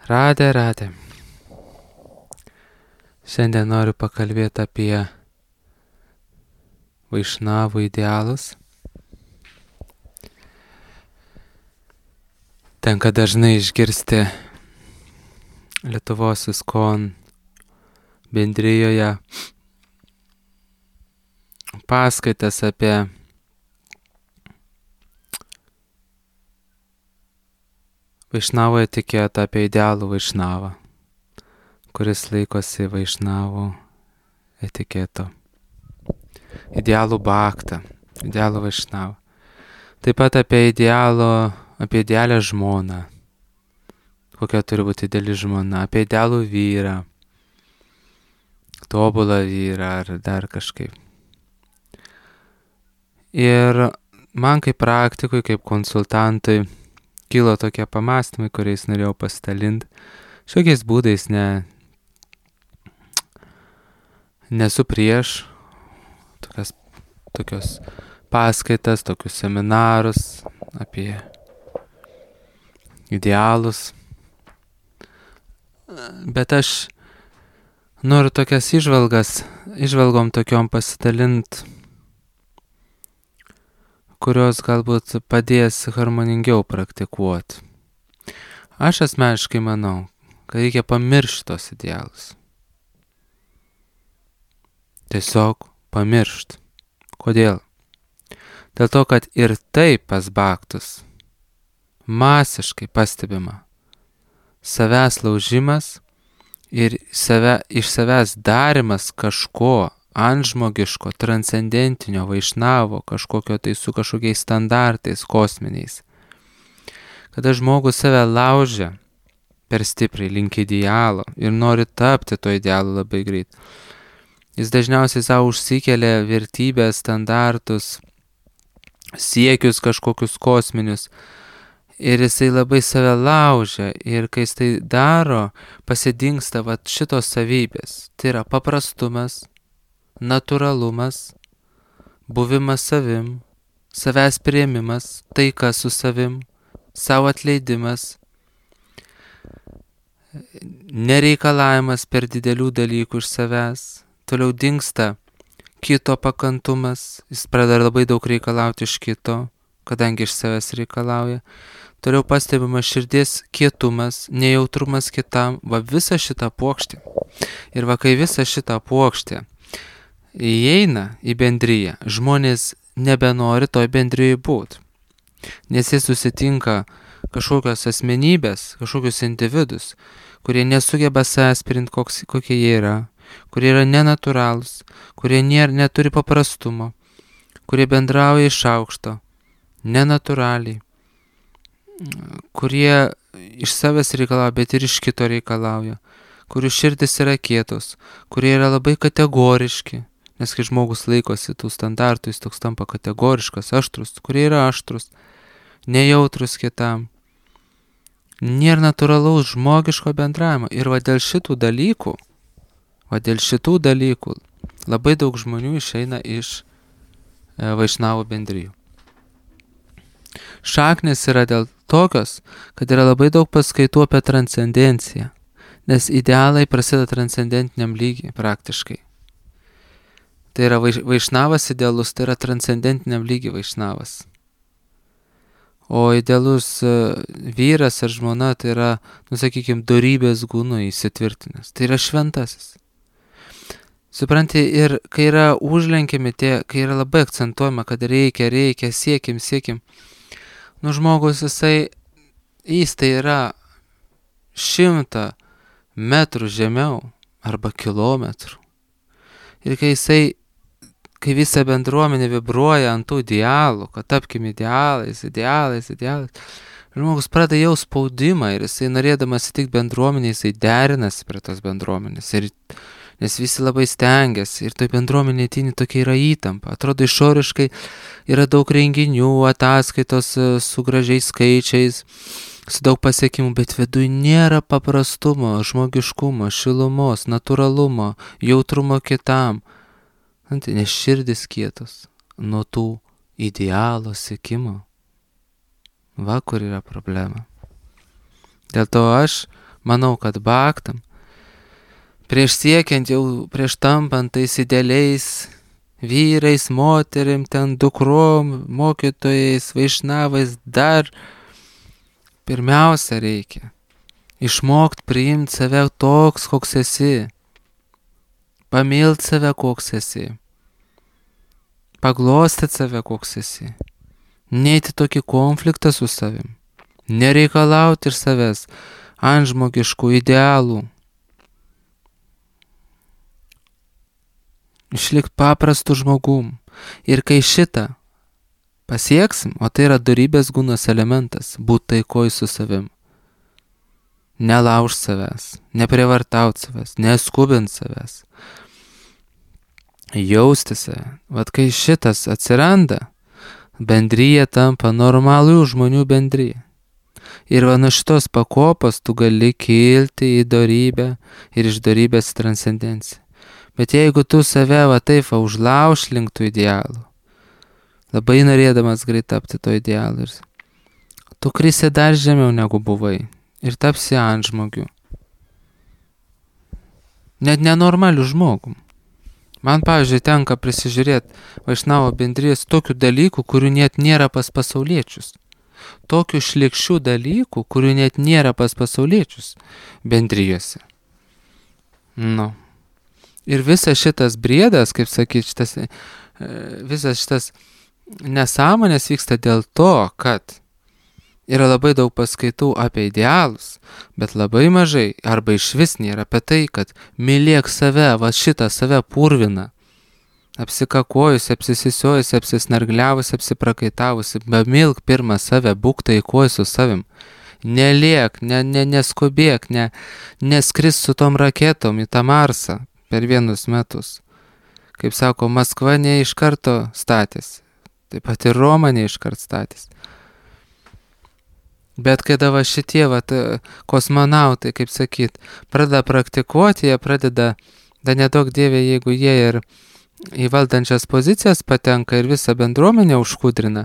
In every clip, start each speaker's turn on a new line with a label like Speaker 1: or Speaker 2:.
Speaker 1: Radė. Šiandien noriu pakalbėti apie vaišnavų idealus. Tenka dažnai išgirsti Lietuvos ISKCON bendrijoje paskaitas apie vaišnavo etiketą, apie idealų vaišnavą, kuris laikosi vaišnavų etiketo. Idealų baktą, idealų vaišnavą. Taip pat apie idealią žmoną, kokia turi būti ideali žmona, apie idealų vyrą, tobulą vyrą ar dar kažkaip. Ir man kaip praktikui, kaip konsultantui kilo tokie pamastymai, kuriais norėjau pasidalinti. Šiokiais būdais nesu prieš tokios paskaitas, tokius seminarus apie idealus. Bet aš noriu tokias įžvalgom tokiom pasidalinti, kurios galbūt padės harmoningiau praktikuoti. Aš asmeniškai manau, kad reikia pamiršti tos idealus. Tiesiog pamiršti. Kodėl? Dėl to, kad ir taip pas baktus masiškai pastebima savęs laužimas ir iš savęs darimas kažko antžmogiško, transcendentinio, vaišnavo, kažkokio tai su kažkokiais standartais kosminiais. Kada žmogus save laužia per stipriai link idealo ir nori tapti to idealo labai greit, jis dažniausiai savo užsikelia vertybės, standartus, siekius kažkokius kosminius ir jisai labai save laužia ir kai jis tai daro, pasidingsta šitos savybės. Tai yra paprastumas, natūralumas, buvimas savim, savęs priėmimas, taika su savim, savo atleidimas, nereikalavimas per didelių dalykų iš savęs, toliau dingsta kito pakantumas, jis pradeda labai daug reikalauti iš kito, kadangi iš savęs reikalauja, toliau pastebimas širdies kietumas, nejautrumas kitam, visa šita puokštė. Ir kai visa šita puokštė įeina į bendriją, žmonės nebenori toj bendrijai būti. Nes jis susitinka kažkokios asmenybės, kažkokius individus, kurie nesugeba savęs priimti, kokie jie yra, kurie yra nenatūralūs, kurie neturi paprastumo, kurie bendrauja iš aukšto, nenatūraliai, kurie iš savęs reikalauja, bet ir iš kito reikalauja, kurių širdis yra kietos, kurie yra labai kategoriški. Nes kai žmogus laikosi tų standartų, jis toks tampa kategoriškas, aštrus, kurie yra aštrus, nejautrus kitam. Nėra natūralaus žmogiško bendravimo. Ir dėl šitų dalykų labai daug žmonių išeina iš vaišnavų bendrijų. Šaknis yra dėl tokios, kad yra labai daug paskaitų apie transcendenciją, nes idealai prasideda transcendentiniam lygiai praktiškai. Tai yra vaišnavas idealus, tai yra transcendentiniam lygiai vaišnavas. O idealus vyras ar žmona tai yra, dorybės gūnų įsitvirtinęs. Tai yra šventasis. Supranti, ir kai yra užlenkiami kai yra labai akcentuojama, kad reikia, siekim. Žmogus jis tai yra 100 metrų žemiau arba kilometrų. Ir kai visa bendruomenė vibruoja ant tų idealų, kad tapkim idealais, žmogus pradeda jau spaudimą ir jisai norėdamas įtikti bendruomenė, jisai derinasi prie tos bendruomenės. Nes visi labai stengiasi ir toj bendruomenė tyni tokia yra įtampa. Atrodo išoriškai yra daug renginių, ataskaitos su gražiais skaičiais, su daug pasiekimų, bet viduj nėra paprastumo, žmogiškumo, šilumos, natūralumo, jautrumo kitam. Nes širdis kietos nuo tų idealo siekimo. Kur yra problema. Dėl to aš manau, kad bhaktam, prieš siekiant jau, prieš tampant tais idealiais vyrais, moterim, ten dukrom, mokytojais, vaišnavais, dar pirmiausia reikia išmokti priimti save toks, koks esi, pamilti save, koks esi, paglostyti save, koks esi, neiti tokį konfliktą su savim, nereikalauti iš savęs antžmogiškų idealų, išlikti paprastu žmogum. Ir kai šitą pasieksim, o tai yra dorybės gūnos elementas, būti taikoj su savim, nelaužt savęs, neprievartaut savęs, neskubint savęs, jausti save. Vat kai šitas atsiranda, bendryje tampa normalių žmonių bendryje. Ir va nuo šitos pakopos tu gali kilti į dorybę ir iš dorybės į transcendenciją. Bet jeigu tu save va taip va užlauš link tų idealų, labai norėdamas greit tapti to idealų, tu krisi dar žemiau negu buvai ir tapsi antžmogiu. Net nenormaliu žmogum. Man, pavyzdžiui, tenka prisižiūrėti vaišnavo bendrijos tokių dalykų, kurių net nėra pas pasauliečius. Tokių šlikščių dalykų, kurių net nėra pas pasauliečius bendrijose. Nu. Ir visas šitas briedas, kaip sakyti, visas šitas nesąmonės vyksta dėl to, kad yra labai daug paskaitų apie idealus, bet labai mažai arba išvis nėra apie tai, kad mylėk save, va šitą save purviną, apsikakojusi, apsisisiojusi, apsisnargliavusi, apsiprakaitavusi, bemilk pirmą save, būk taikoj su savim. Neliek, neskubėk, neskris su tom raketom į tą Marsą per vienus metus. Kaip sako, Maskva ne iš karto statėsi, taip pat ir Roma ne iš karto statėsi. Bet kada va šitie kosmonautai, kaip sakyt, pradeda praktikuoti, jie pradeda, da nedaug dievė, jeigu jie ir į valdančias pozicijas patenka ir visą bendruomenę užkudrina,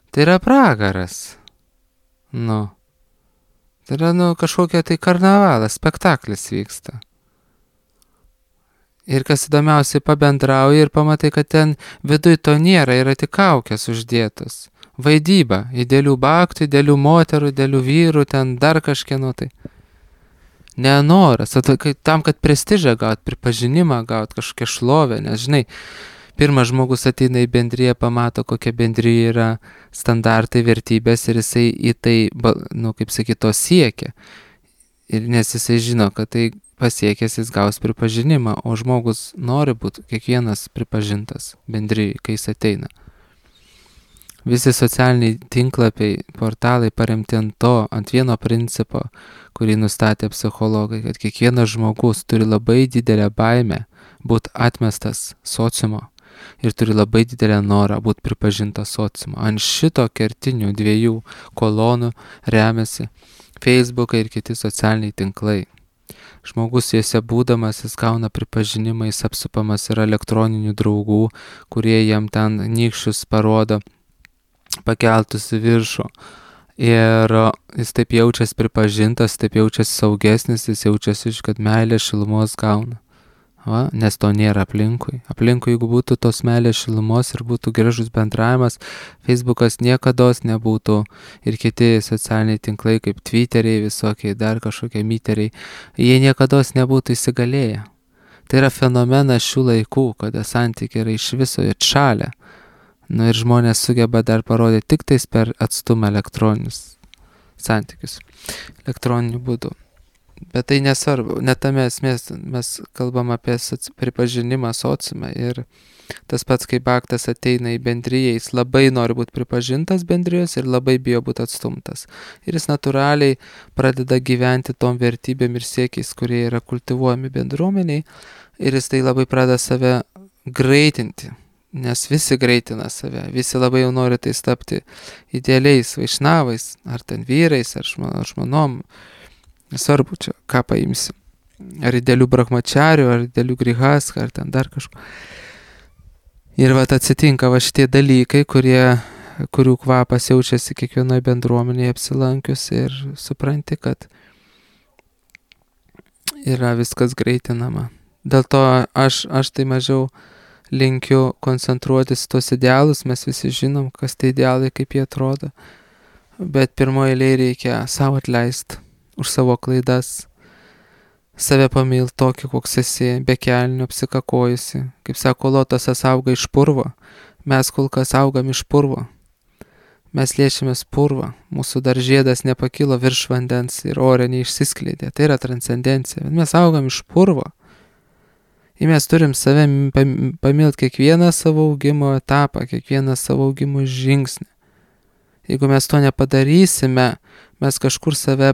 Speaker 1: tai yra pragaras. Nu. Tai yra, kažkokia tai karnavalas, spektaklis vyksta. Ir kas įdomiausiai pabendrauji ir pamatai, kad ten viduj to nėra, yra tik kaukės uždėtos. Vaidyba, idealių bhaktų, idealių moterų, idealių vyrų, ten dar kažkieno tai. Nenoras, tam, kad prestižą gaut, pripažinimą gaut, kažkokią šlovę, nes žinai, pirmas žmogus ateina į bendriją, pamato, kokia bendryje yra standartai, vertybės ir jisai į tai, kaip sakyt, to siekia. Ir nes jisai žino, kad tai pasiekęs jis gaus pripažinimą, o žmogus nori būti kiekvienas pripažintas bendryje, kai jis ateina. Visi socialiniai tinklapiai, portalai paremti ant vieno principo, kurį nustatė psichologai, kad kiekvienas žmogus turi labai didelę baimę būti atmestas sociumo ir turi labai didelę norą būti pripažintas sociumo. Ant šito kertinių dviejų kolonų remiasi Facebookai ir kiti socialiniai tinklai. Žmogus juose būdamas, jis gauna pripažinimą, jis apsupamas yra elektroninių draugų, kurie jam ten nykščius parodo, pakeltus į viršų. Ir jis taip jaučiasi pripažintas, taip jaučiasi saugesnis, jis jaučiasi, kad meilės šilumos gauna. Va, nes to nėra aplinkui. Aplinkui, jeigu būtų tos meilės šilumos ir būtų gražus bendravimas, Facebookas niekados nebūtų ir kiti socialiniai tinklai kaip Twitteriai, visokiai dar kažkokie myteriai, jie niekados nebūtų įsigalėję. Tai yra fenomenas šių laikų, kada santykiai yra iš viso atšalę. Ir žmonės sugeba dar parodyti tik tais per atstumą elektroninius santykius, elektroniniu būdu. Bet tai nesvarbu, net tame esmės mes kalbam apie pripažinimą sociume ir tas pats, kai bhaktas ateina į bendriją, jis labai nori būti pripažintas bendrijos ir labai bijo būti atstumtas. Ir jis natūraliai pradeda gyventi tom vertybėm ir siekiais, kurie yra kultivuojami bendruomeniai ir jis tai labai pradeda save greitinti. Nes visi greitina save, visi labai jau nori tai tapti idealiais vaišnavais, ar ten vyrais, ar žmonom. Nesvarbu čia, ką paimsi. Ar idealių brahmacharių, ar idealių grihas, ar ten dar kažko. Ir atsitinka šitie dalykai, kurių kvapas jaučiasi kiekvienoje bendruomenėje apsilankius ir supranti, kad yra viskas greitinama. Dėl to aš tai mažiau linkiu koncentruotis tos idealus, mes visi žinom, kas tai idealai, kaip jie atrodo. Bet pirmoje eilėje reikia savo atleisti už savo klaidas, save pamilt tokį, koks esi, be kelnių apsikakojusi. Kaip sako Lotosas auga iš purvo, mes kol kas augam iš purvo. Mes liečiamės purvą, mūsų dar žiedas nepakilo virš vandens ir ore neišsiskleidė. Tai yra transcendencija, bet mes augam iš purvo. Ir mes turim save pamilt kiekvieną savo augimo etapą, kiekvieną savo augimo žingsnį. Jeigu mes to nepadarysime, mes kažkur save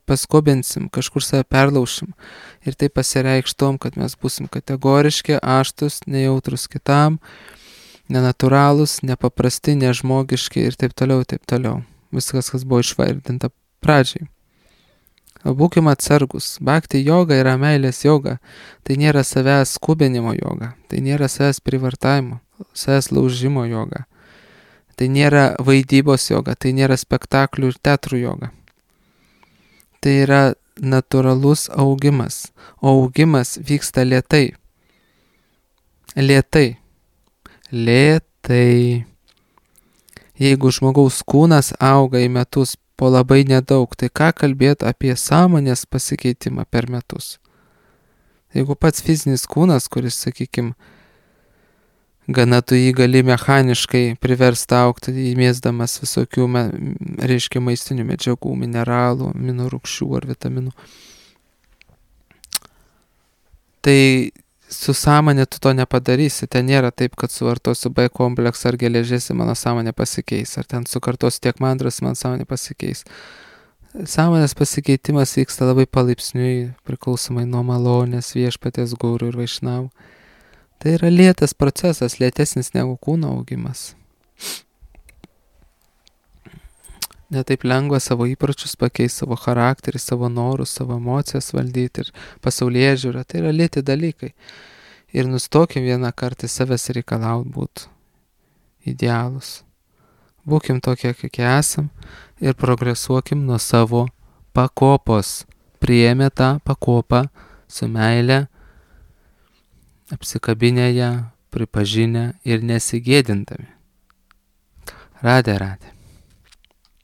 Speaker 1: paskubinsim, kažkur save perlaušim. Ir tai pasireikš tom, kad mes būsim kategoriški, aštus, nejautrus kitam, nenatūralūs, nepaprasti, nežmogiški ir taip toliau, taip toliau. Viskas, kas buvo išvardinta pradžiai. Būkime atsargus. Bhakti joga yra meilės joga. Tai nėra savęs skubinimo joga. Tai nėra savęs privartavimo, savęs laužimo joga. Tai nėra vaidybos joga. Tai nėra spektaklių ir teatrų joga. Tai yra natūralus augimas. O augimas vyksta lėtai. Lėtai. Lėtai. Jeigu žmogaus kūnas auga į metus po labai nedaug, tai ką kalbėti apie sąmonės pasikeitimą per metus? Jeigu pats fizinis kūnas, kuris, sakykime, gana tu jį gali mechaniškai priversti augti, įmėsdamas visokių, reiškia, maistinių medžiagų, mineralų, aminorūgščių ar vitaminų, tai su sąmonė tu to nepadarysi. Ten nėra taip, kad suvartosiu B kompleksą ar geležės ir mano sąmonė pasikeis. Ar ten sukartosiu tiek mandros, man sąmonė pasikeis. Sąmonės pasikeitimas vyksta labai palaipsniui, priklausomai nuo malonės, viešpaties, guru ir vaišnavų. Tai yra lėtas procesas, lėtesnis negu kūno augimas. Netaip lengva savo įpročius pakeisti, savo charakterį, savo norus, savo emocijas valdyti ir pasaulyje žiūrą. Tai yra lėti dalykai. Ir nustokim vieną kartą savęs reikalauti būti idealus. Būkim tokie, kokie esam ir progresuokim nuo savo pakopos. Priėmė tą pakopą su meile, apsikabinę ją, pripažinę ir nesigėdindami. Radė.